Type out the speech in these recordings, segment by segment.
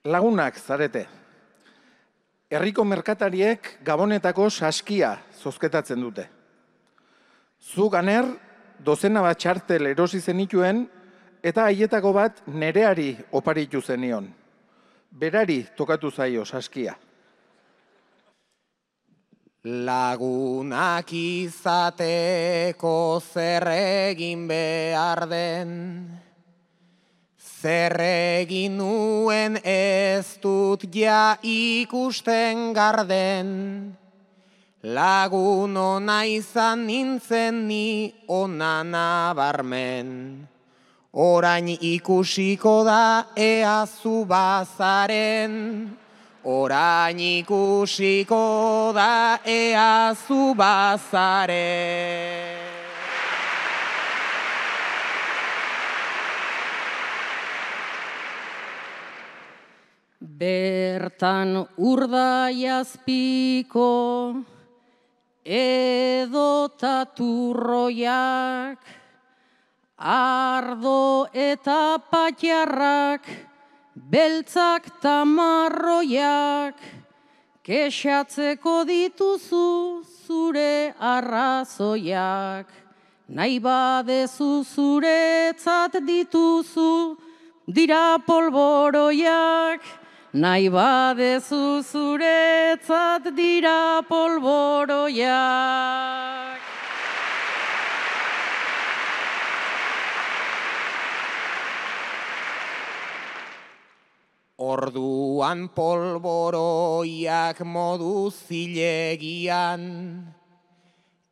Lagunak zarete. Herriko merkatariek Gabonetako saskia zozketatzen dute. Zu Ganer, dozena bat txartel erosi zenituen eta haietako bat nereari oparitu zenion. Berari tokatu zaio saskia. Lagunak izateko zer egin behar den, zer egin nuen ez dut ja ikusten garden, lagun ona izan nintzen ni ona nabarmen, orain ikusiko da ea zu bazaren, orain ikusiko da ea zu bazaren. Bertan urdaiazpiko edota turroiak, ardo eta patxarrak, beltzak tamarroiak, kexatzeko dituzu zure arrazoiak, nahi badezu zuretzat dituzu dira polboroiak, nahi badezu zuretzat dira polboroiak. Orduan polboroiak modu zilegian,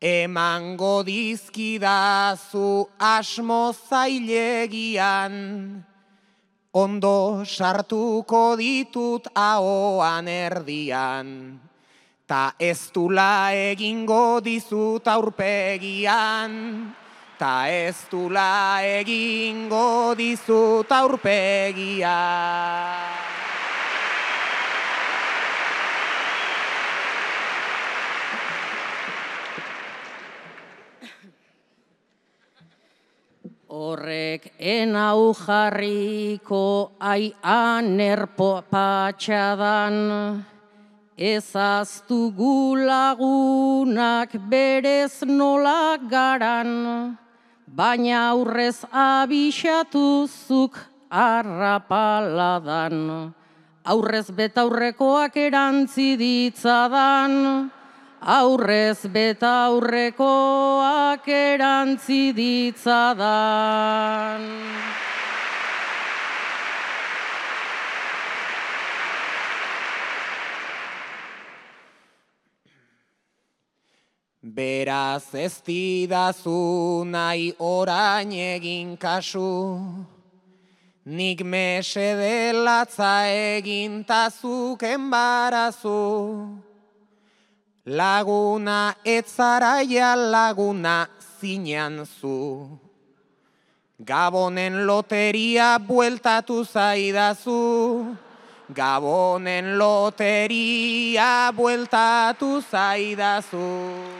emango dizkidazu asmo zailegian, ondo sartuko ditut ahoan erdian, ta ez dula egingo dizut aurpegian, ta ez dula egingo dizut aurpegian. Horrek enau jarriko anerpo patxadan, ezaztu gulagunak berez nola garan, baina aurrez abixatuzuk arrapaladan, aurrez betaurrekoak erantzi ditzadan, aurrez betaurrekoak erantzi ditzadan. Beraz ez didazu nahi orain egin kasu, nik mesede latza egin tazuk enbarazu. Laguna etzaraia laguna zinean zu, Gabonen loteria bueltatu zaidazu, Gabonen loteria bueltatu zaidazu.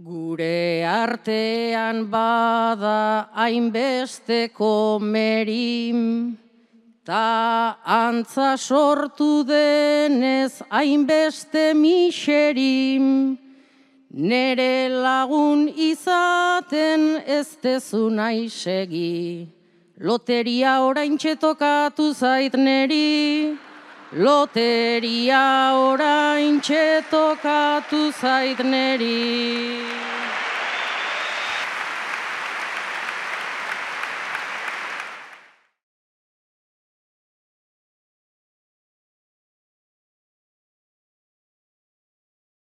Gure artean bada hainbesteko merim, ta antza sortu denez hainbeste miserim, nere lagun izaten ez dezu nahi segi, loteria oraintxe tokatu zait neri, loteria oraintxe tokatu zait neri.